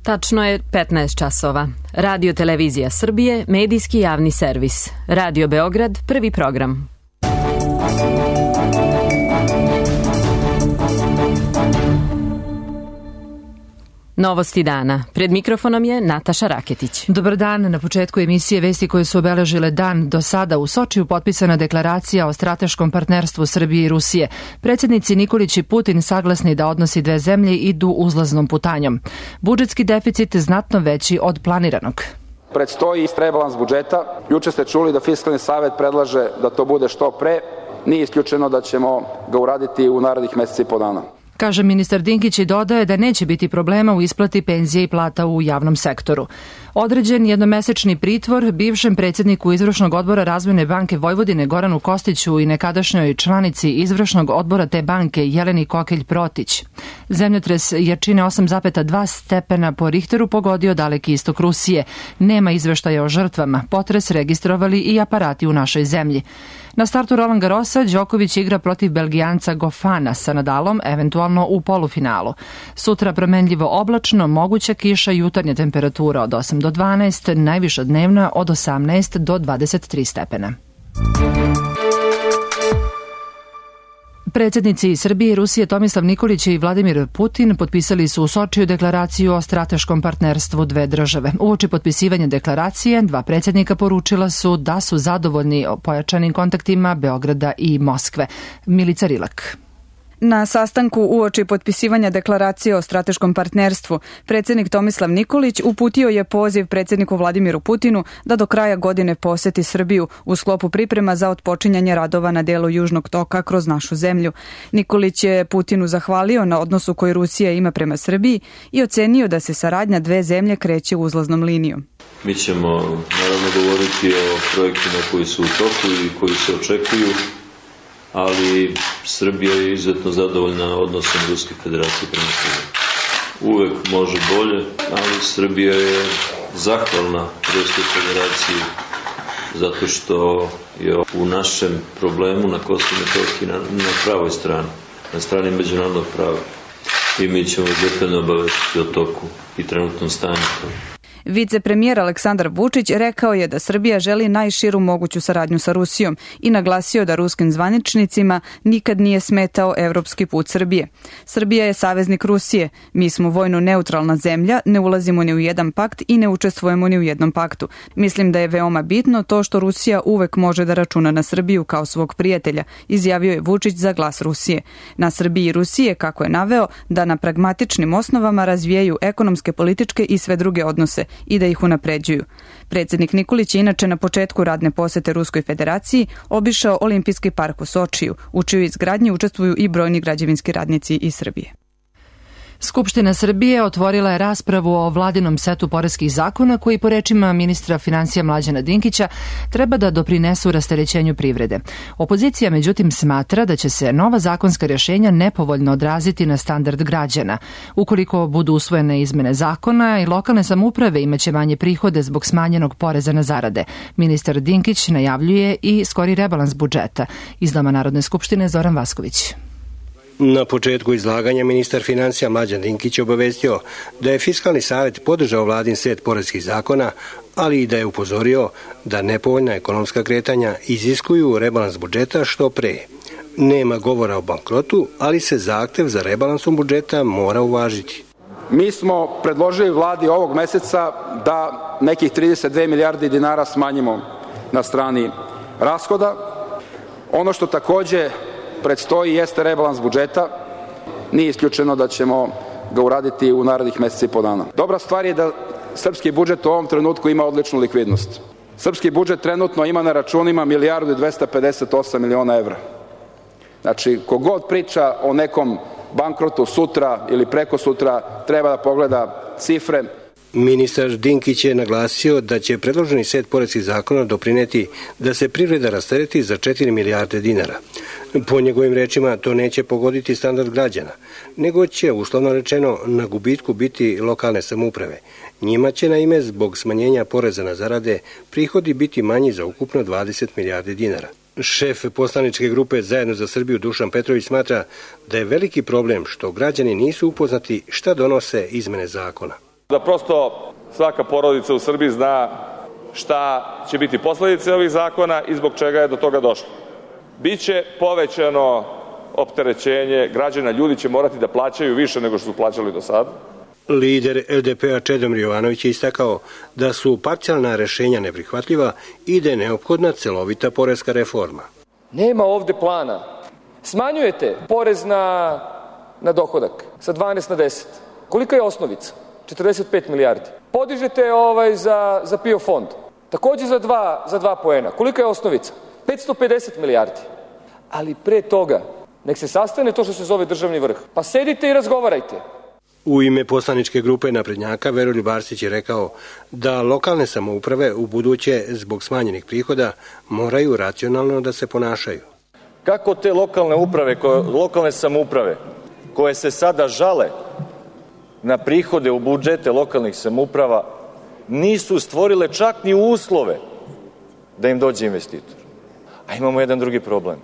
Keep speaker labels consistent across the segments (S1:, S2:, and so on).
S1: Tačno je 15 časova. Radio Televizija Srbije, medijski javni servis. Radio Beograd, prvi program. Novosti dana. Pred mikrofonom je Nataša Raketić.
S2: Dobar dan. Na početku emisije vesti koje su obeležile dan do sada u Sočiju potpisana deklaracija o strateškom partnerstvu Srbije i Rusije. Predsjednici Nikolić i Putin saglasni da odnosi dve zemlje idu uzlaznom putanjom. Budžetski deficit znatno veći od planiranog.
S3: Predstoji rebalans budžeta. Juče ste čuli da Fiskalni savet predlaže da to bude što pre. Nije isključeno da ćemo ga uraditi u narednih meseci i po dana.
S2: Kaže ministar Dinkić i dodaje da neće biti problema u isplati penzije i plata u javnom sektoru. Određen jednomesečni pritvor bivšem predsjedniku Izvršnog odbora Razvojne banke Vojvodine Goranu Kostiću i nekadašnjoj članici Izvršnog odbora te banke Jeleni Kokelj-Protić. Zemljotres jačine 8,2 stepena po Richteru pogodio daleki istok Rusije. Nema izveštaja o žrtvama. Potres registrovali i aparati u našoj zemlji. Na startu Roland Garrosa Đoković igra protiv Belgijanca Gofana sa Nadalom, eventualno u polufinalu. Sutra promenljivo oblačno, moguća kiša, jutarnja temperatura od 8 do 12, najviša dnevna od 18 do 23 stepena. Predsjednici Srbije i Rusije Tomislav Nikolić i Vladimir Putin potpisali su u Sočiju deklaraciju o strateškom partnerstvu dve države. Uoči potpisivanja deklaracije, dva predsjednika poručila su da su zadovoljni pojačanim kontaktima Beograda i Moskve. Milica Rilak.
S4: Na sastanku uoči potpisivanja deklaracije o strateškom partnerstvu, predsjednik Tomislav Nikolić uputio je poziv predsjedniku Vladimiru Putinu da do kraja godine poseti Srbiju u sklopu priprema za otpočinjanje radova na delu Južnog toka kroz našu zemlju. Nikolić je Putinu zahvalio na odnosu koji Rusija ima prema Srbiji i ocenio da se saradnja dve zemlje kreće uzlaznom linijom.
S5: Mi ćemo naravno govoriti o projektima koji su u toku i koji se očekuju, ali Srbija je izuzetno zadovoljna odnosom Ruske federacije prema Srbiji. Uvek može bolje, ali Srbija je zahvalna Ruskoj federaciji zato što je u našem problemu na Kosovu i Metohiji na pravoj strani, na strani međunarodnog prava. I mi ćemo detaljno obavestiti o toku i trenutnom stanju.
S4: Vicepremijer Aleksandar Vučić rekao je da Srbija želi najširu moguću saradnju sa Rusijom i naglasio da ruskim zvaničnicima nikad nije smetao evropski put Srbije. Srbija je saveznik Rusije. Mi smo vojno neutralna zemlja, ne ulazimo ni u jedan pakt i ne učestvujemo ni u jednom paktu. Mislim da je veoma bitno to što Rusija uvek može da računa na Srbiju kao svog prijatelja, izjavio je Vučić za Glas Rusije. Na Srbiji i Rusije, kako je naveo, da na pragmatičnim osnovama razvijaju ekonomske, političke i sve druge odnose i da ih unapređuju. Predsjednik Nikolić je inače na početku radne posete Ruskoj federaciji obišao Olimpijski park u Sočiju, u čijoj izgradnji učestvuju i brojni građevinski radnici iz Srbije.
S2: Skupština Srbije otvorila je raspravu o vladinom setu poreskih zakona koji po rečima ministra finansija Mlađana Dinkića treba da doprinesu rasterećenju privrede. Opozicija međutim smatra da će se nova zakonska rješenja nepovoljno odraziti na standard građana. Ukoliko budu usvojene izmene zakona i lokalne samouprave imaće manje prihode zbog smanjenog poreza na zarade. Ministar Dinkić najavljuje i skori rebalans budžeta. Iz Doma Narodne skupštine Zoran Vasković.
S6: Na početku izlaganja ministar finansija Mlađan Dinkić obavestio da je Fiskalni savet podržao vladin set poreskih zakona, ali i da je upozorio da nepovoljna ekonomska kretanja iziskuju rebalans budžeta što pre. Nema govora o bankrotu, ali se zahtev za rebalansom budžeta mora uvažiti.
S3: Mi smo predložili vladi ovog meseca da nekih 32 milijardi dinara smanjimo na strani rashoda. Ono što takođe predstoji jeste rebalans budžeta. Nije isključeno da ćemo ga uraditi u narednih meseci i po dana. Dobra stvar je da srpski budžet u ovom trenutku ima odličnu likvidnost. Srpski budžet trenutno ima na računima 1.258 miliona evra. Znači, kogod priča o nekom bankrotu sutra ili preko sutra, treba da pogleda cifre.
S6: Ministar Dinkić je naglasio da će predloženi set poreskih zakona doprineti da se privreda rastereti za 4 milijarde dinara. Po njegovim rečima to neće pogoditi standard građana, nego će, uslovno rečeno, na gubitku biti lokalne samouprave. Njima će, naime, zbog smanjenja poreza na zarade prihodi biti manji za ukupno 20 milijardi dinara. Šef poslaničke grupe Zajedno za Srbiju Dušan Petrović smatra da je veliki problem što građani nisu upoznati šta donose izmene zakona.
S7: Da prosto svaka porodica u Srbiji zna šta će biti posledice ovih zakona i zbog čega je do toga došlo. Biće povećano opterećenje građana, ljudi će morati da plaćaju više nego što su plaćali do sada.
S6: Lider LDP-a Čedomir Jovanović je istakao da su parcijalna rešenja neprihvatljiva i da je neophodna celovita poreska reforma.
S8: Nema ovde plana. Smanjujete porez na dohodak sa 12 na 10. Kolika je osnovica? 45 milijardi. Podižete za PIO fond. Takođe za 2 poena. Kolika je osnovica? 550 milijardi. Ali pre toga, nek se sastane to što se zove državni vrh. Pa sedite i razgovarajte.
S6: U ime poslaničke grupe naprednjaka Veroljub Arsić je rekao da lokalne samouprave u buduće zbog smanjenih prihoda moraju racionalno da se ponašaju.
S9: Kako te lokalne samouprave koje se sada žale na prihode u budžete lokalnih samouprava nisu stvorile čak ni uslove da im dođe investitor. A imamo jedan drugi problem.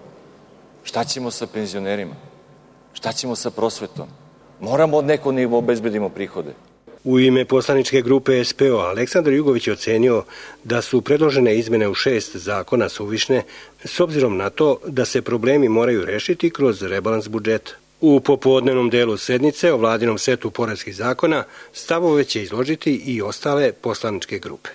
S9: Šta ćemo sa penzionerima? Šta ćemo sa prosvetom? Moramo od nekog nivo obezbedimo prihode.
S6: U ime poslaničke grupe SPO Aleksandar Jugović je ocenio da su predložene izmene u 6 zakona suvišne s obzirom na to da se problemi moraju rešiti kroz rebalans budžeta. U popodnevnom delu sednice o vladinom setu poreskih zakona stavove će izložiti i ostale poslaničke grupe.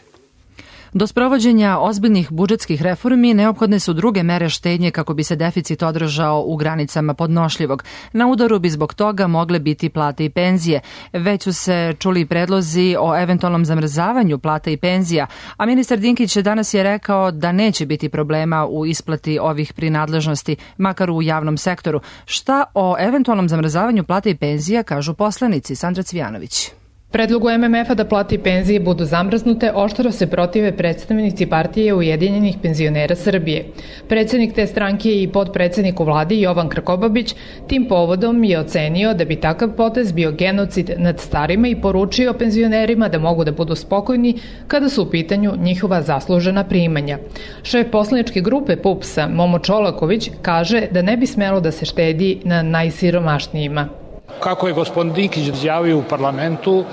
S2: Do sprovođenja ozbiljnih budžetskih reformi neophodne su druge mere štednje kako bi se deficit održao u granicama podnošljivog. Na udaru bi zbog toga mogle biti plate i penzije. Već su se čuli predlozi o eventualnom zamrzavanju plata i penzija, a ministar Dinkić danas je rekao da neće biti problema u isplati ovih prinadležnosti, makar u javnom sektoru. Šta o eventualnom zamrzavanju plata i penzija kažu poslanici? Sandra Cvijanović.
S10: Predlogu MMF-a da plate i penzije budu zamrznute oštro se protive predstavnici partije Ujedinjenih penzionera Srbije. Predsednik te stranke i podpredsednik u vladi Jovan Krkobabić tim povodom je ocenio da bi takav potez bio genocid nad starima i poručio penzionerima da mogu da budu spokojni kada su u pitanju njihova zaslužena primanja. Šef poslaničke grupe PUPS-a Momo Čolaković kaže da ne bi smelo da se štedi na najsiromašnijima.
S11: Kako je gospodin Dinkić izjavio u parlamentu,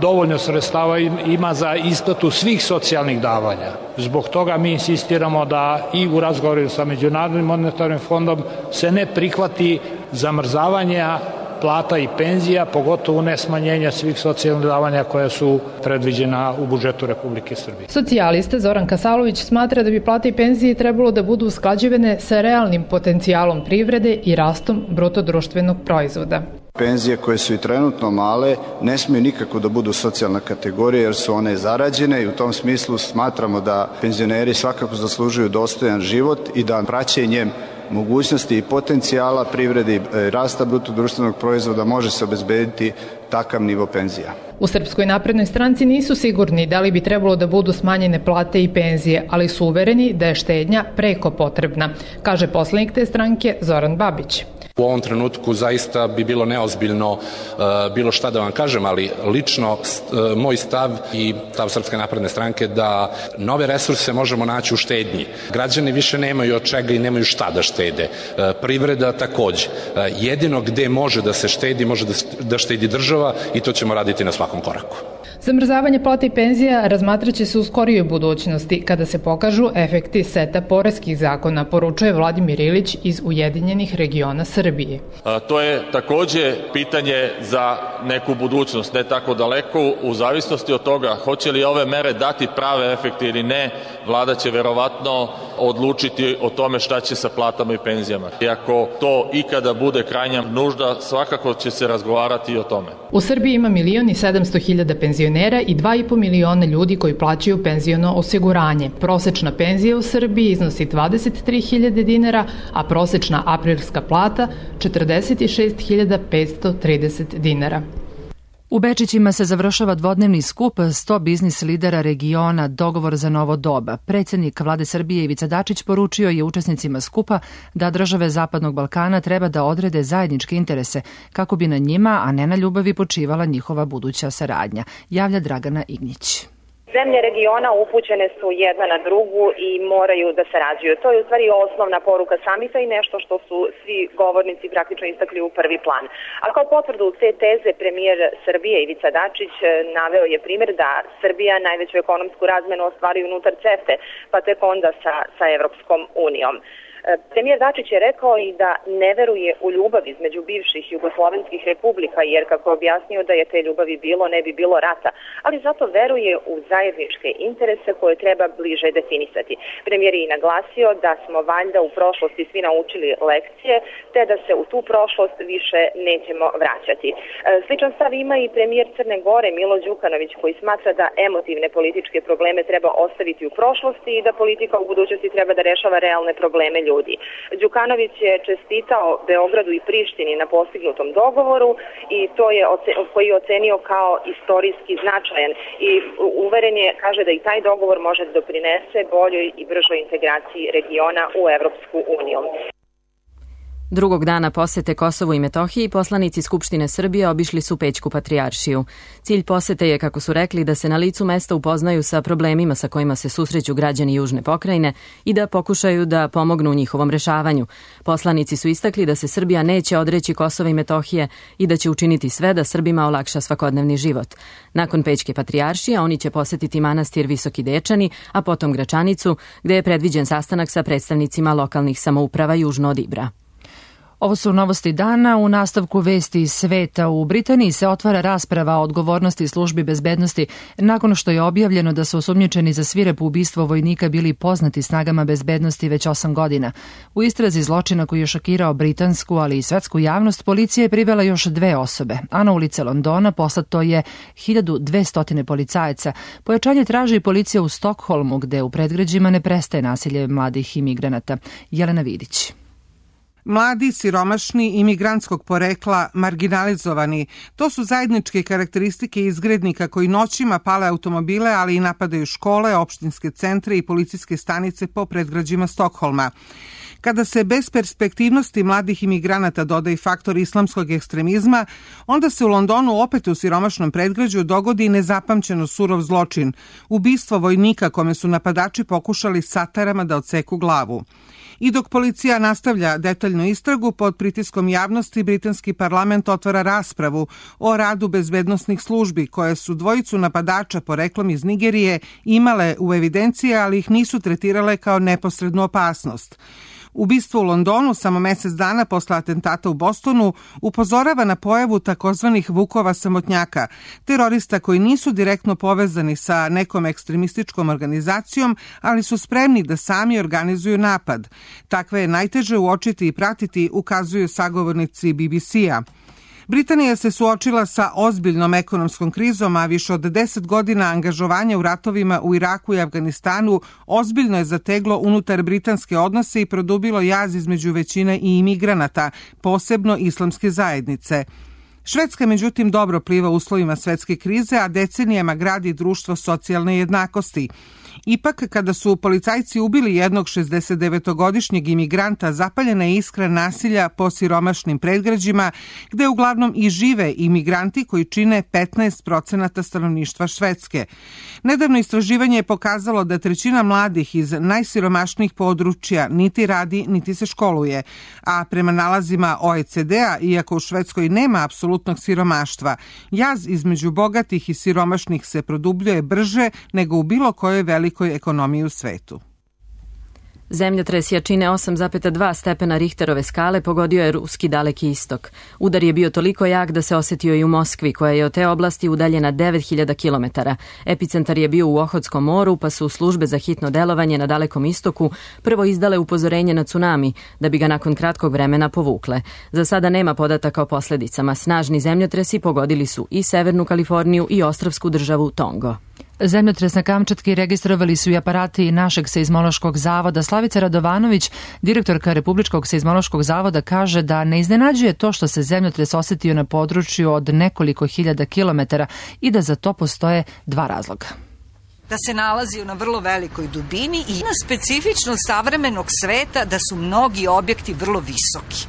S11: dovoljno sredstava ima za isplatu svih socijalnih davanja. Zbog toga mi insistiramo da i u razgovoru sa Međunarodnim monetarnim fondom se ne prihvati zamrzavanja plata i penzija, pogotovo ne smanjenja svih socijalnih davanja koja su predviđena u budžetu Republike Srbije.
S10: Socijalista Zoran Kasalović smatra da bi plate i penzije trebalo da budu usklađivane sa realnim potencijalom privrede i rastom brutodruštvenog proizvoda.
S12: Penzije koje su i trenutno male ne smiju nikako da budu socijalna kategorija jer su one zarađene i u tom smislu smatramo da penzioneri svakako zaslužuju dostojan život i da praćenjem mogućnosti i potencijala privrede i rasta brutodruštvenog proizvoda može se obezbediti takav nivo penzija.
S10: U Srpskoj naprednoj stranci nisu sigurni da li bi trebalo da budu smanjene plate i penzije, ali su uvereni da je štednja preko potrebna, kaže poslanik te stranke Zoran Babić.
S13: U ovom trenutku zaista bi bilo neozbiljno bilo šta da vam kažem, ali lično moj stav i stav Srpske napredne stranke da nove resurse možemo naći u štednji. Građani više nemaju od čega i nemaju šta da štede. Privreda takođe. Jedino gde može da se štedi, može da štedi država i to ćemo raditi na svakom koraku.
S10: Zamrzavanje plata i penzija razmatraće se u skorijoj budućnosti kada se pokažu efekti seta poreskih zakona, poručuje Vladimir Ilić iz Ujedinjenih regiona Srbije.
S14: To je takođe pitanje za neku budućnost, ne tako daleko, u zavisnosti od toga hoće li ove mere dati prave efekte ili ne, vlada će verovatno odlučiti o tome šta će sa platama i penzijama. I ako to ikada bude krajnja nužda, svakako će se razgovarati i o tome.
S10: U Srbiji ima 1.700.000 penzionera i 2,5 miliona ljudi koji plaćaju penziono osiguranje. Prosečna penzija u Srbiji iznosi 23.000 dinara, a prosečna aprilska plata 46.530 dinara.
S2: U Bečićima se završava dvodnevni skup 100 biznis lidera regiona Dogovor za novo doba. Predsjednik vlade Srbije Ivica Dačić poručio je učesnicima skupa da države Zapadnog Balkana treba da odrede zajedničke interese kako bi na njima, a ne na ljubavi, počivala njihova buduća saradnja, javlja Dragana Ignjić.
S15: Zemlje regiona upućene su jedna na drugu i moraju da sarađuju. To je u stvari osnovna poruka samita i nešto što su svi govornici praktično istakli u prvi plan. A kao potvrdu te teze premijer Srbije Ivica Dačić naveo je primjer da Srbija najveću ekonomsku razmenu ostvaruje unutar CEFTA, pa tek onda sa Evropskom unijom. Premijer Dačić je rekao i da ne veruje u ljubav između bivših jugoslovenskih republika, jer kako je objasnio da je te ljubavi bilo, ne bi bilo rata, ali zato veruje u zajedničke interese koje treba bliže definisati. Premijer je i naglasio da smo valjda u prošlosti svi naučili lekcije, te da se u tu prošlost više nećemo vraćati. Sličan stav ima i premijer Crne Gore Milo Đukanović, koji smatra da emotivne političke probleme treba ostaviti u prošlosti i da politika u budućnosti treba da rešava realne probleme ljudi. Đukanović je čestitao Beogradu i Prištini na postignutom dogovoru i to je koji je ocenio kao istorijski značajan i uveren je, kaže da i taj dogovor može da doprinese boljoj i bržoj integraciji regiona u Evropsku uniju.
S1: Drugog dana posete Kosovu i Metohiji poslanici Skupštine Srbije obišli su Pećku patrijaršiju. Cilj posete je, kako su rekli, da se na licu mesta upoznaju sa problemima sa kojima se susreću građani južne pokrajine i da pokušaju da pomognu u njihovom rešavanju. Poslanici su istakli da se Srbija neće odreći Kosova i Metohije i da će učiniti sve da Srbima olakša svakodnevni život. Nakon Pećke patrijaršije oni će posetiti manastir Visoki Dečani, a potom Gračanicu, gde je predviđen sastanak sa predstavnicima lokalnih samouprava južno od Ibra.
S2: Ovo su novosti dana. U nastavku vesti iz sveta. U Britaniji se otvara rasprava o odgovornosti službi bezbednosti nakon što je objavljeno da su osumnjičeni za svirepo ubistvo vojnika bili poznati snagama bezbednosti već 8 godina. U istrazi zločina koji je šokirao britansku, ali i svetsku javnost, policija je privela još 2 osobe, a na ulice Londona poslato je 1200 policajaca. Pojačanje traži i policija u Stokholmu, gde u predgrađima ne prestaje nasilje mladih imigranata. Jelena Vidić.
S16: Mladi, siromašni, imigrantskog porekla, marginalizovani, to su zajedničke karakteristike izgrednika koji noćima pale automobile, ali i napadaju škole, opštinske centre i policijske stanice po predgrađima Stokholma. Kada se bez perspektivnosti mladih imigranata doda i faktor islamskog ekstremizma, onda se u Londonu opet u siromašnom predgrađu dogodi nezapamćeno surov zločin, ubistvo vojnika kome su napadači pokušali satarama da odseku glavu. I dok policija nastavlja detaljnu istragu, pod pritiskom javnosti britanski parlament otvara raspravu o radu bezbednosnih službi koje su dvojicu napadača poreklom iz Nigerije imale u evidenciji, ali ih nisu tretirale kao neposrednu opasnost. Ubistvo u Londonu samo mesec dana posle atentata u Bostonu upozorava na pojavu takozvanih vukova samotnjaka, terorista koji nisu direktno povezani sa nekom ekstremističkom organizacijom, ali su spremni da sami organizuju napad. Takve je najteže uočiti i pratiti, ukazuju sagovornici BBC-a. Britanija se suočila sa ozbiljnom ekonomskom krizom, a više od 10 godina angažovanja u ratovima u Iraku i Afganistanu ozbiljno je zateglo unutar britanske odnose i produbilo jaz između većine i imigranata, posebno islamske zajednice. Švedska, međutim, dobro pliva uslovima svetske krize, a decenijama gradi društvo socijalne jednakosti. Ipak, kada su policajci ubili jednog 69-godišnjeg imigranta, zapaljena je iskra nasilja po siromašnim predgrađima, gde uglavnom i žive imigranti koji čine 15% stanovništva Švedske. Nedavno istraživanje je pokazalo da 1/3 mladih iz najsiromašnijih područja niti radi, niti se školuje. A prema nalazima OECD-a, iako u Švedskoj nema apsolutnog siromaštva, jaz između bogatih i siromašnih se produbljuje brže nego u bilo kojoj velikoj ekonomiji u svetu.
S1: Zemljotres jačine 8,2 stepena Richterove skale pogodio je ruski Daleki istok. Udar je bio toliko jak da se osetio i u Moskvi, koja je od te oblasti udaljena 9000 km. Epicentar je bio u Ohotskom moru, pa su službe za hitno delovanje na Dalekom istoku prvo izdale upozorenje na tsunami, da bi ga nakon kratkog vremena povukle. Za sada nema podataka o posledicama. Snažni zemljotresi pogodili su i Severnu Kaliforniju i ostrvsku državu Tongo.
S2: Zemljotres na Kamčatki registrovali su i aparati našeg seizmološkog zavoda. Slavica Radovanović, direktorka Republičkog seizmološkog zavoda, kaže da ne iznenađuje to što se zemljotres osetio na području od nekoliko hiljada kilometara i da za to postoje 2 razloga.
S17: Da se nalazi na vrlo velikoj dubini i na specifičnost savremenog sveta da su mnogi objekti vrlo visoki.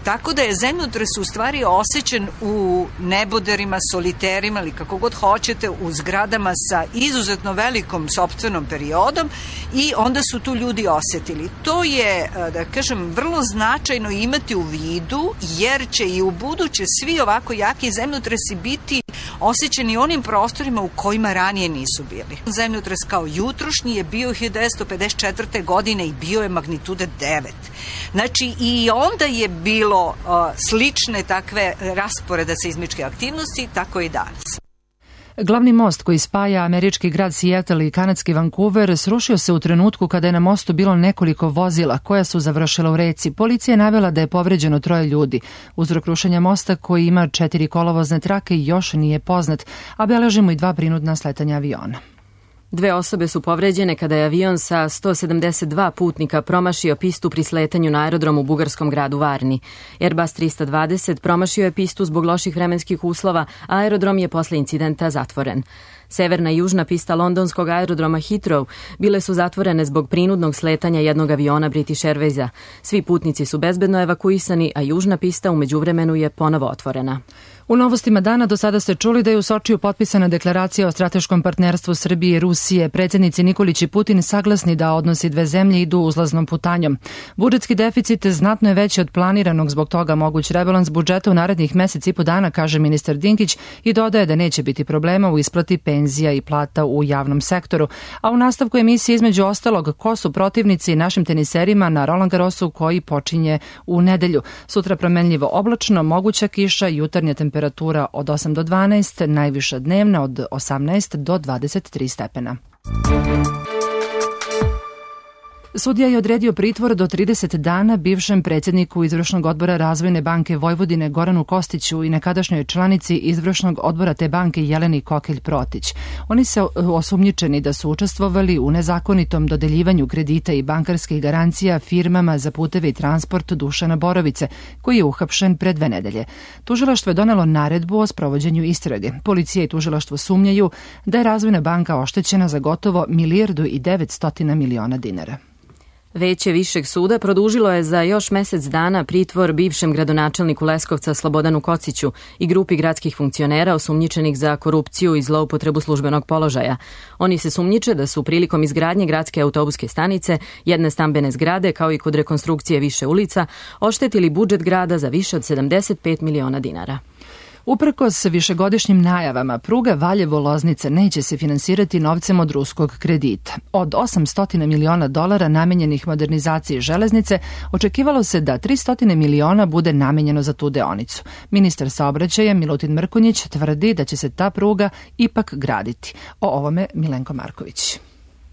S17: Tako da je zemljotres u stvari osjećan u neboderima, soliterima ili kako god hoćete, u zgradama sa izuzetno velikom sopstvenom periodom i onda su tu ljudi osetili. To je, da kažem, vrlo značajno imati u vidu, jer će i u buduće svi ovako jaki zemljotresi biti osjećani onim prostorima u kojima ranije nisu bili. Zemljotres kao jutrošnji je bio 1954. godine i bio je magnitude 9. Znači i onda je bilo slične takve rasporeda seizmičke aktivnosti, tako i danas.
S2: Glavni most koji spaja američki grad Seattle i kanadski Vancouver srušio se u trenutku kada je na mostu bilo nekoliko vozila koja su završila u reci. Policija je navela da je povređeno 3 ljudi. Uzrok rušenja mosta koji ima 4 kolovozne trake još nije poznat, a beležimo i 2 prinudna sletanja aviona.
S1: 2 osobe su povređene kada je avion sa 172 putnika promašio pistu pri sletanju na aerodrom u bugarskom gradu Varni. Airbus 320 promašio je pistu zbog loših vremenskih uslova, a aerodrom je posle incidenta zatvoren. Severna i južna pista londonskog aerodroma Heathrow bile su zatvorene zbog prinudnog sletanja jednog aviona British Airwaysa. Svi putnici su bezbedno evakuisani, a južna pista u međuvremenu je ponovo otvorena.
S2: U novostima dana do sada ste čuli da je u Sočiju potpisana deklaracija o strateškom partnerstvu Srbije i Rusije. Predsjednici Nikolić i Putin saglasni da odnosi dve zemlje idu uzlaznom putanjom. Budžetski deficit znatno je veći od planiranog, zbog toga moguć rebalans budžeta u narednih mesec i po dana, kaže ministar Dinkić, i dodaje da neće biti problema u isplati penzija i plata u javnom sektoru. A u nastavku emisije između ostalog ko su protivnici našim teniserima na Roland Garrosu koji počinje u nedelju. Sutra promenljivo oblačno, moguća kiša, jutarnja temperatura od 8 do 12, najviša dnevna od 18 do 23 stepena. Sudija je odredio pritvor do 30 dana bivšem predsjedniku Izvršnog odbora Razvojne banke Vojvodine Goranu Kostiću i nekadašnjoj članici Izvršnog odbora te banke Jeleni Kokelj-Protić. Oni se osumnjičeni da su učestvovali u nezakonitom dodeljivanju kredita i bankarskih garancija firmama za puteve i transport Dušana Borovice, koji je uhapšen pre 2 nedelje. Tužilaštvo je donelo naredbu o sprovođenju istrage. Policija i tužilaštvo sumnjaju da je Razvojna banka oštećena za gotovo 1.9 milijardi dinara.
S1: Veće Višeg suda produžilo je za još mesec dana pritvor bivšem gradonačelniku Leskovca Slobodanu Kociću i grupi gradskih funkcionera osumnjičenih za korupciju i zloupotrebu službenog položaja. Oni se sumnjiče da su prilikom izgradnje gradske autobuske stanice, jedne stambene zgrade kao i kod rekonstrukcije više ulica oštetili budžet grada za više od 75 miliona dinara.
S2: Uprkos višegodišnjim najavama, pruga Valjevo-Loznica neće se finansirati novcem od ruskog kredita. Od 800 miliona dolara namenjenih modernizaciji železnice, očekivalo se da 300 miliona bude namenjeno za tu deonicu. Ministar saobraćaja Milutin Mrkonjić tvrdi da će se ta pruga ipak graditi. O ovome Milenko Marković.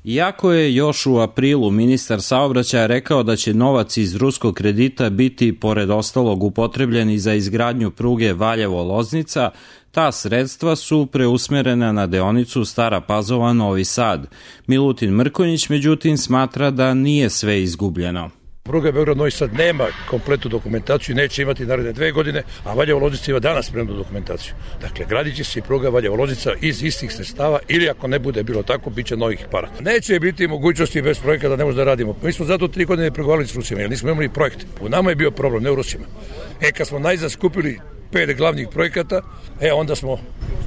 S18: Iako je još u aprilu ministar saobraćaja rekao da će novac iz ruskog kredita biti, pored ostalog, upotrebljeni za izgradnju pruge Valjevo-Loznica, ta sredstva su preusmerena na deonicu Stara Pazova-Novi Sad. Milutin Mrkonjić, međutim, smatra da nije sve izgubljeno.
S19: Pruga Beograd-Novi Sad nema kompletnu dokumentaciju, neće imati naredne 2 godine, a Valjevo-Loznica ima danas spremnu dokumentaciju. Dakle, gradit će se i pruga Valjevo-Loznica iz istih sredstava ili ako ne bude bilo tako, bit će novih para. Neće biti mogućnosti bez projekta da ne možemo da radimo. Mi smo zato 3 godine pregovarali s Rusima, jer nismo imali projekte. U nama je bio problem, ne u Rusima. Kad smo najzad skupili 5 glavnih projekata, onda smo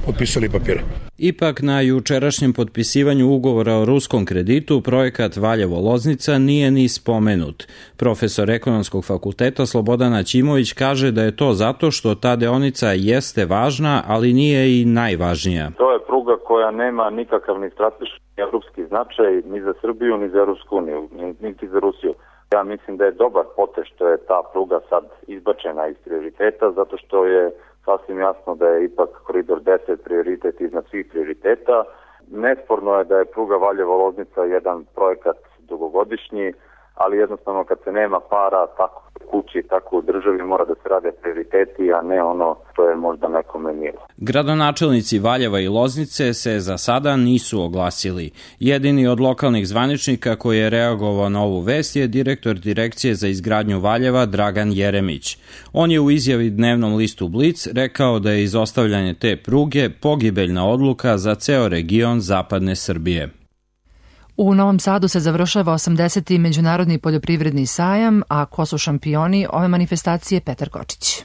S19: potpisali papire.
S18: Ipak na jučerašnjem potpisivanju ugovora o ruskom kreditu projekat Valjevo-Loznica nije ni spomenut. Profesor ekonomskog fakulteta Slobodan Aćimović kaže da je to zato što ta deonica jeste važna, ali nije i najvažnija.
S20: To je pruga koja nema nikakav ni strateški ni evropski značaj ni za Srbiju, ni za Evropsku uniju, niti za Rusiju. Ja mislim da je dobar potez što je ta pruga sad izbačena iz prioriteta, zato što je sasvim jasno da je ipak koridor 10 prioritet iznad svih prioriteta. Nesporno je da je pruga Valjevo-Loznica jedan projekat dugogodišnji, ali jednostavno kad se nema para, tako u kući, tako u državi, mora da se rade prioriteti, a ne ono što je možda nekome milo.
S18: Gradonačelnici Valjeva i Loznice se za sada nisu oglasili. Jedini od lokalnih zvaničnika koji je reagovao na ovu vest je direktor Direkcije za izgradnju Valjeva Dragan Jeremić. On je u izjavi dnevnom listu Blic rekao da je izostavljanje te pruge pogibeljna odluka za ceo region zapadne Srbije.
S2: U Novom Sadu se završava 80. Međunarodni poljoprivredni sajam, a ko su šampioni ove manifestacije? Petar Kočić.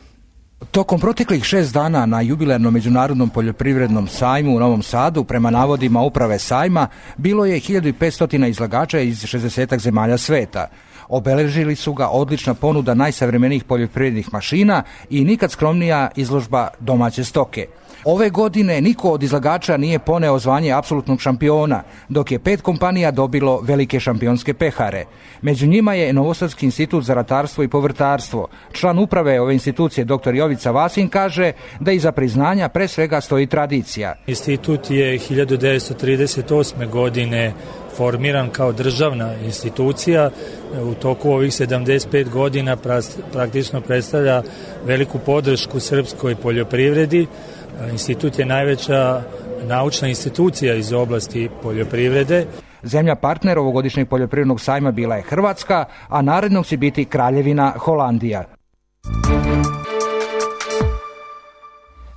S21: Tokom proteklih 6 dana na jubilarnom Međunarodnom poljoprivrednom sajmu u Novom Sadu, prema navodima uprave sajma, bilo je 1500 izlagača iz 60 zemalja sveta. Obeležili su ga odlična ponuda najsavremenijih poljoprivrednih mašina i nikad skromnija izložba domaće stoke. Ove godine niko od izlagača nije poneo zvanje apsolutnog šampiona, dok je 5 kompanija dobilo velike šampionske pehare. Među njima je Novosadski institut za ratarstvo i povrtarstvo. Član uprave ove institucije, dr. Jovica Vasin, kaže da iza priznanja pre svega stoji tradicija.
S22: Institut je 1938. godine formiran kao državna institucija. U toku ovih 75 godina praktično predstavlja veliku podršku srpskoj poljoprivredi. Institut je najveća naučna institucija iz oblasti poljoprivrede.
S21: Zemlja partner ovogodišnjeg poljoprivrednog sajma bila je Hrvatska, a narednog će biti Kraljevina Holandija.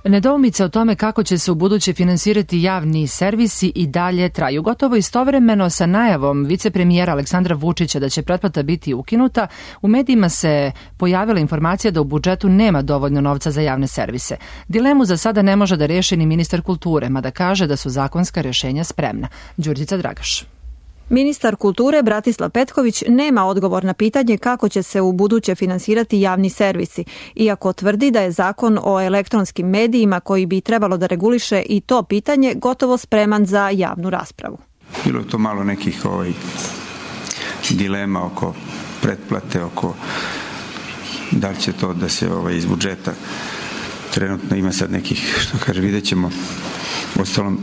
S2: Nedoumice o tome kako će se u buduće finansirati javni servisi i dalje traju. Gotovo istovremeno sa najavom vicepremijera Aleksandra Vučića da će pretplata biti ukinuta, u medijima se pojavila informacija da u budžetu nema dovoljno novca za javne servise. Dilemu za sada ne može da reši ni ministar kulture, mada kaže da su zakonska rješenja spremna. Đurđica Dragaš.
S23: Ministar kulture Bratislav Petković nema odgovor na pitanje kako će se u buduće finansirati javni servisi, iako tvrdi da je zakon o elektronskim medijima koji bi trebalo da reguliše i to pitanje gotovo spreman za javnu raspravu.
S24: Bilo je to malo nekih dilema oko pretplate, oko da li će to da se iz budžeta, trenutno ima sad nekih, vidjet ćemo. Ostalom,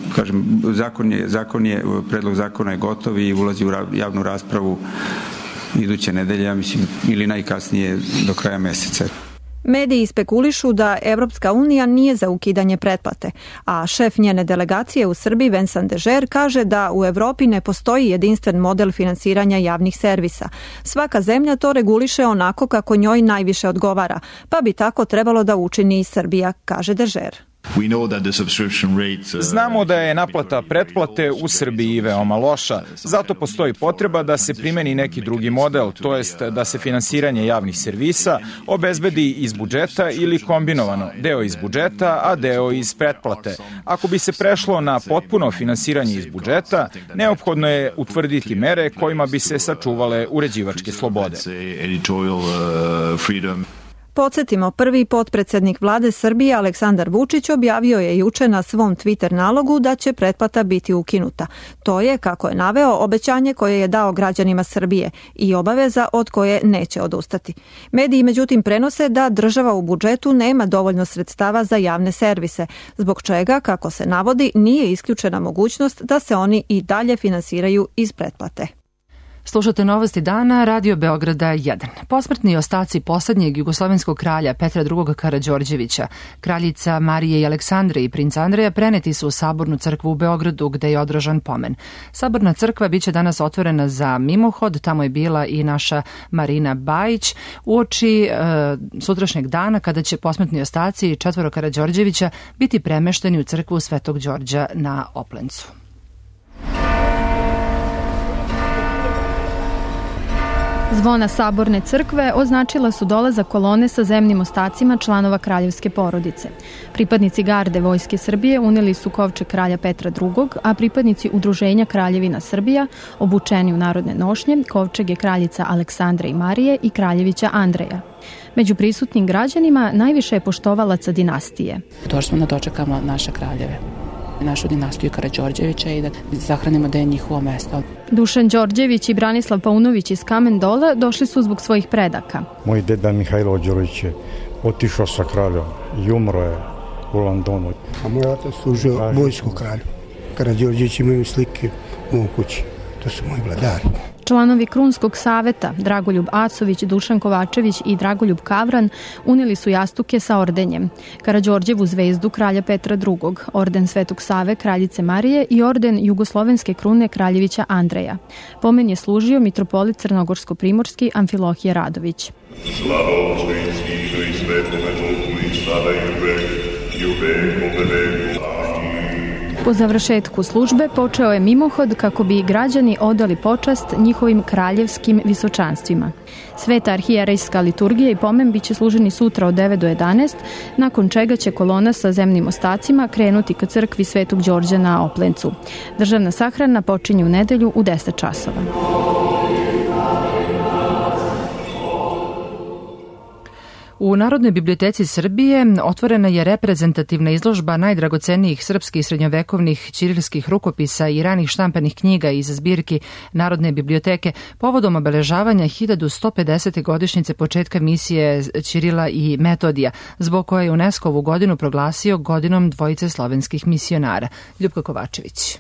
S24: predlog zakona je gotov i ulazi u javnu raspravu iduće nedelje, ja mislim, ili najkasnije do kraja meseca.
S23: Mediji spekulišu da Evropska unija nije za ukidanje pretplate, a šef njene delegacije u Srbiji Vincent Dežer kaže da u Evropi ne postoji jedinstven model finansiranja javnih servisa. Svaka zemlja to reguliše onako kako njoj najviše odgovara, pa bi tako trebalo da učini i Srbija, kaže Dežer.
S25: Znamo da je naplata pretplate u Srbiji veoma loša, zato postoji potreba da se primeni neki drugi model, to jest da se finansiranje javnih servisa obezbedi iz budžeta ili kombinovano, deo iz budžeta, a deo iz pretplate. Ako bi se prešlo na potpuno finansiranje iz budžeta, neophodno je utvrditi mere kojima bi se sačuvale uređivačke slobode.
S23: Podsjetimo, prvi potpredsednik vlade Srbije Aleksandar Vučić objavio je juče na svom Twitter nalogu da će pretplata biti ukinuta. To je, kako je naveo, obećanje koje je dao građanima Srbije i obaveza od koje neće odustati. Mediji međutim prenose da država u budžetu nema dovoljno sredstava za javne servise, zbog čega, kako se navodi, nije isključena mogućnost da se oni i dalje finansiraju iz pretplate.
S2: Slušate Novosti dana, Radio Beograda 1. Posmrtni ostaci poslednjeg jugoslovenskog kralja Petra II. Karađorđevića, kraljica Marije i Aleksandre i princa Andreja preneti su u Sabornu crkvu u Beogradu gde je održan pomen. Saborna crkva biće danas otvorena za mimohod, tamo je bila i naša Marina Bajić, uoči sutrašnjeg dana kada će posmrtni ostaci 4 Karađorđevića biti premešteni u crkvu Svetog Đorđa na Oplencu.
S26: Zvona Saborne crkve označila su dolazak kolone sa zemnim ostacima članova kraljevske porodice. Pripadnici garde Vojske Srbije uneli su kovčeg kralja Petra II, a pripadnici Udruženja Kraljevina Srbija, obučeni u narodne nošnje, kovčege kraljica Aleksandre i Marije i kraljevića Andreja. Među prisutnim građanima najviše je poštovalaca dinastije.
S27: Došli smo da dočekamo naše kraljeve, našu dinastiju Karađorđevića i da zahranimo da je njihovo mesto.
S26: Dušan Đorđević i Branislav Paunović iz Kamen Dola došli su zbog svojih predaka.
S28: Moj deda Mihajlo Đorović je otišao sa kraljom i umro je u Londonu.
S29: A moj otac služio vojsku kralju. Karađorđević imaju slike u kući. To su moji vladari.
S26: Članovi Krunskog saveta, Dragoljub Acović, Dušan Kovačević i Dragoljub Kavran, uneli su jastuke sa ordenjem. Karađorđevu zvezdu kralja Petra II, orden Svetog Save kraljice Marije i orden Jugoslovenske krune kraljevića Andreja. Pomen je služio mitropolit Crnogorsko-primorski Amfilohije Radović.
S30: Slava Otcu i Sinu i Svetome Duhu i sada i uvek, i uvek,
S26: Po završetku službe počeo je mimohod kako bi građani odali počast njihovim kraljevskim visočanstvima. Sveta arhijerejska liturgija i pomen biće služeni sutra od 9 do 11, nakon čega će kolona sa zemnim ostacima krenuti ka crkvi Svetog Đorđa na Oplencu. Državna sahrana počinje u nedelju u 10 časova.
S2: U Narodnoj biblioteci Srbije otvorena je reprezentativna izložba najdragocenijih srpskih srednjovekovnih ćirilskih rukopisa i ranih štampanih knjiga iz zbirki Narodne biblioteke povodom obeležavanja 1150. godišnjice početka misije Ćirila i Metodija, zbog koje je UNESCO ovu godinu proglasio godinom dvojice slovenskih misionara. Ljupka Kovačević.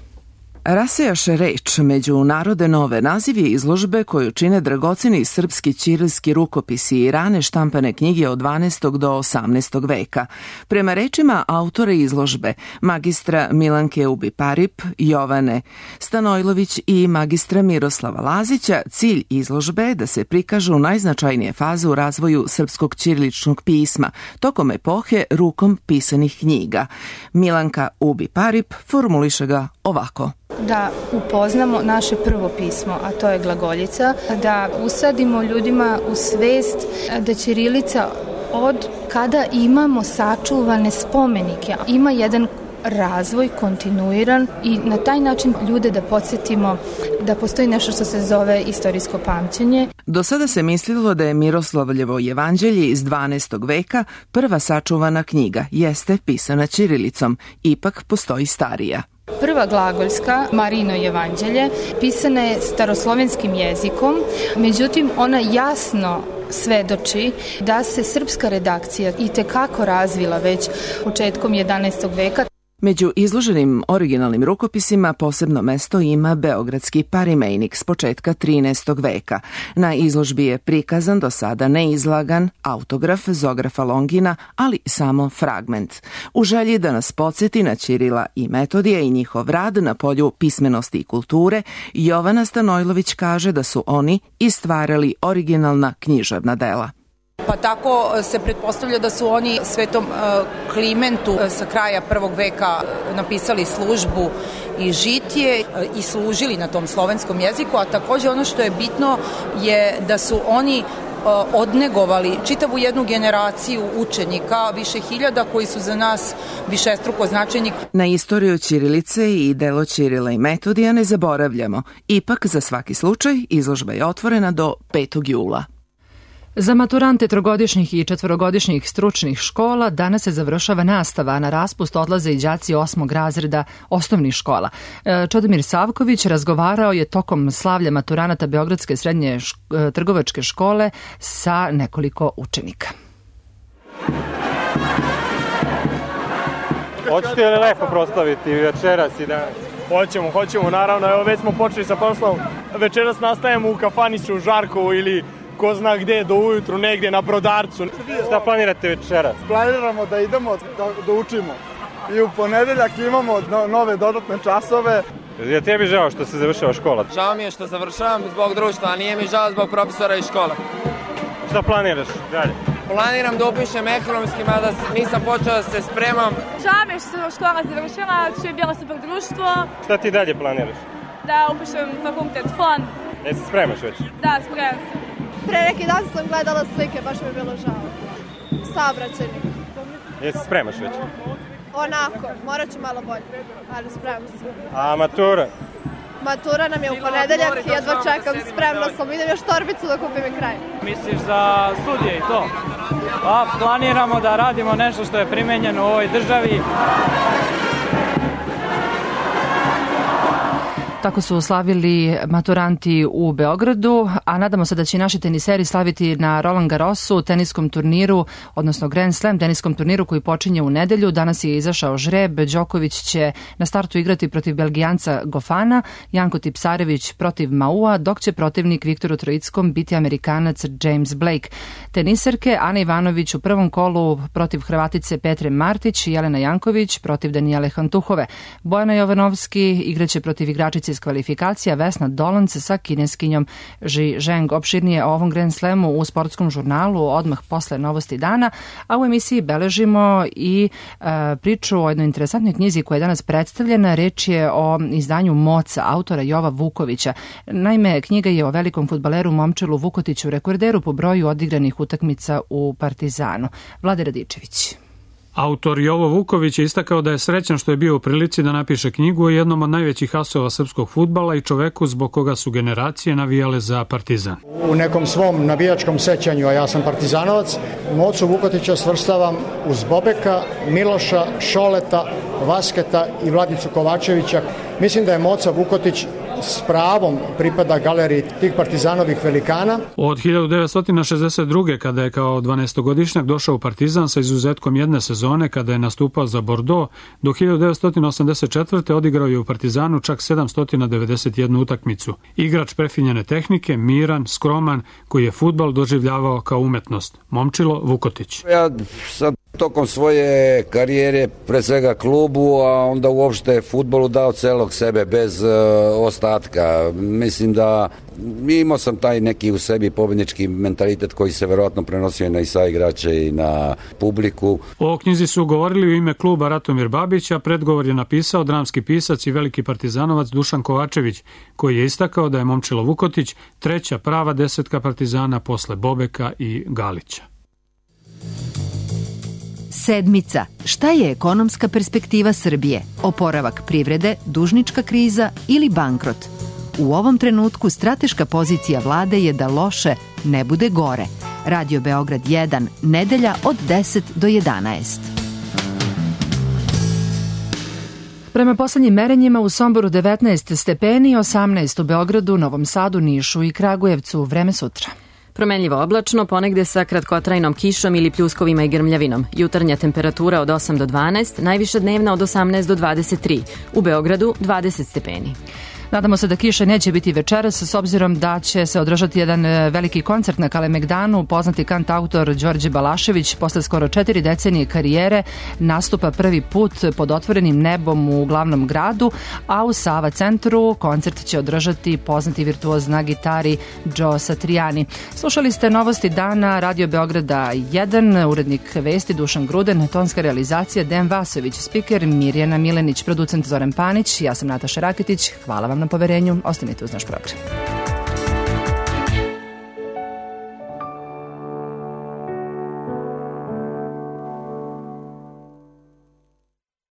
S3: Rasejaše reč među narode nove naziv je izložbe koju čine dragoceni srpski ćirilski rukopisi i rane štampane knjige od 12. do 18. veka. Prema rečima autora izložbe, magistra Milanke Ubi-Parip, Jovane Stanojlović i magistra Miroslava Lazića, cilj izložbe je da se prikažu najznačajnije faze u razvoju srpskog ćiriličnog pisma tokom epohe rukom pisanih knjiga. Milanka Ubi-Parip formuliše ga ovako.
S4: Da upoznamo naše prvo pismo, a to je glagoljica, da usadimo ljudima u svest da ćirilica od kada imamo sačuvane spomenike, ima jedan razvoj kontinuiran i na taj način ljude da podsjetimo da postoji nešto što se zove istorijsko pamćenje.
S3: Do sada se mislilo da je Miroslavljevo jevanđelje iz 12. veka prva sačuvana knjiga, jeste pisana ćirilicom, ipak postoji starija.
S4: Prva glagoljska, Marino jevanđelje, pisana je staroslovenskim jezikom, međutim ona jasno svedoči da se srpska redakcija itekako razvila već početkom 11. veka.
S3: Među izloženim originalnim rukopisima posebno mesto ima beogradski parimejnik s početka 13. veka. Na izložbi je prikazan do sada neizlagan autograf Zografa Longina, ali samo fragment. U želji da nas podsjeti na Ćirila i Metodija i njihov rad na polju pismenosti i kulture, Jovana Stanojlović kaže da su oni i stvarali originalna književna dela.
S5: Pa tako se pretpostavlja da su oni Svetom Klimentu sa kraja 1. veka napisali službu i žitije i služili na tom slovenskom jeziku, a takođe ono što je bitno je da su oni odnegovali čitavu jednu generaciju učenika, više hiljada koji su za nas višestruko značajni.
S3: Na istoriju ćirilice i delo Ćirila i Metodija ne zaboravljamo. Ipak, za svaki slučaj, izložba je otvorena do 5. jula.
S2: Za maturante trogodišnjih i četvorogodišnjih stručnih škola danas se završava nastava, a na raspust odlaze i đaci 8. razreda osnovnih škola. Čodomir Savković razgovarao je tokom slavlja maturanata Beogradske srednje trgovačke škole sa nekoliko učenika.
S6: Hoćete li lepo proslaviti večeras i danas?
S7: Hoćemo, naravno, evo već smo počeli sa proslavom. Večeras nastajemo u kafanicu u Žarkovu ili ko zna gde, do ujutru, negdje na Brodarcu.
S6: Šta planirate večeras?
S8: Planiramo da idemo da učimo. I u ponedeljak imamo nove dodatne časove.
S6: Je tebi žao što se završava škola?
S9: Žao mi je što završavam zbog društva, a nije mi žao zbog profesora i škola.
S6: Šta planiraš dalje?
S9: Planiram da upišem ekonomski, mada nisam počeo da se spremam.
S11: Žao mi je što se škola završila, što je bilo super društvo.
S6: Šta ti dalje planiraš?
S11: Da upišem fakultet FON.
S6: Jesi spremaš već?
S11: Da, spremam se.
S12: Pre neki dan sam gledala slike, baš mi je bilo žao. Saobraćajnik.
S6: Jesi spremaš već?
S12: Onako, morat ću malo bolje, ali spremam se.
S6: A matura?
S12: Matura nam je u ponedeljak i jedva čekam, spremna sam. Idem još torbicu da kupim i kraj.
S7: Misliš za studije i to? Pa planiramo da radimo nešto što je primenjeno u ovoj državi.
S2: Tako su slavili maturanti u Beogradu, a nadamo se da će naši teniseri slaviti na Roland Garrosu, teniskom turniru, odnosno Grand Slam teniskom turniru koji počinje u nedelju. Danas je izašao žreb, Đoković će na startu igrati protiv Belgijanca Gofana, Janko Tipsarević protiv Maua, dok će protivnik Viktoru Trojickom biti Amerikanac James Blake. Teniserke Ana Ivanović u prvom kolu protiv Hrvatice Petre Martić i Jelena Janković protiv Danijele Hantuhove. Bojana Jovanovski igraće protiv igračice borac iz kvalifikacija Vesna Dolanc sa kineskinjom Ji Zheng. Opširnije o ovom Grand Slamu u sportskom žurnalu odmah posle novosti dana, a u emisiji beležimo i priču o jednoj interesantnoj knjizi koja je danas predstavljena. Reč je o izdanju Moca, autora Jova Vukovića. Naime, knjiga je o velikom fudbaleru Momčilu Vukotiću, rekorderu po broju odigranih utakmica u Partizanu. Vlade Radičević.
S1: Autor Jovo Vuković je istakao da je srećan što je bio u prilici da napiše knjigu o jednom od najvećih asova srpskog fudbala i čoveku zbog koga su generacije navijale za Partizan.
S10: U nekom svom navijačkom sećanju, a ja sam partizanovac, Mocu Vukotića svrstavam uz Bobeka, Miloša, Šoleta, Vasketa i Vladicu Kovačevića. Mislim da je Moca Vukotić s pravom pripada galeriji tih partizanovih velikana.
S1: Od 1962. kada je kao 12-godišnjak došao u Partizan sa izuzetkom jedne sezone kada je nastupao za Bordeaux, do 1984. odigrao je u Partizanu čak 791 utakmicu. Igrač prefinjene tehnike, miran, skroman, koji je fudbal doživljavao kao umetnost. Momčilo Vukotić.
S13: Ja sad tokom svoje karijere, pre svega klubu, a onda uopšte fudbalu dao celog sebe bez ostatka. Mislim da imao sam taj neki u sebi pobednički mentalitet koji se verovatno prenosio na i saigrače i na publiku.
S1: O knjizi su govorili u ime kluba Ratomir Babić, a predgovor je napisao dramski pisac i veliki partizanovac Dušan Kovačević, koji je istakao da je Momčilo Vukotić treća prava desetka Partizana posle Bobeka i Galića.
S14: Sedmica. Šta je ekonomska perspektiva Srbije? Oporavak privrede, dužnička kriza ili bankrot? U ovom trenutku strateška pozicija vlade je da loše ne bude gore. Radio Beograd 1, nedelja od 10 do 11.
S2: Prema poslednjim merenjima u Somboru 19 stepeni, 18 u Beogradu, Novom Sadu, Nišu i Kragujevcu. Vreme sutra.
S15: Promenljivo oblačno, ponegde sa kratkotrajnom kišom ili pljuskovima i grmljavinom. Jutarnja temperatura od 8 do 12, najviša dnevna od 18 do 23. U Beogradu 20 stepeni.
S2: Nadamo se da kiše neće biti večeras, s obzirom da će se održati jedan veliki koncert na Kalemegdanu. Poznati kantautor Đorđe Balašević posle skoro 4 decenije karijere nastupa prvi put pod otvorenim nebom u glavnom gradu, a u Sava centru koncert će održati poznati virtuoz na gitari Joe Satriani. Slušali ste novosti dana Radio Beograda 1, urednik vesti Dušan Gruden, tonska realizacija Dejan Vasović, spiker Mirjana Milenić, producent Zoran Panić, ja sam Nataša Raketić. Hvala vam na poverenju, ostanite uz naš program.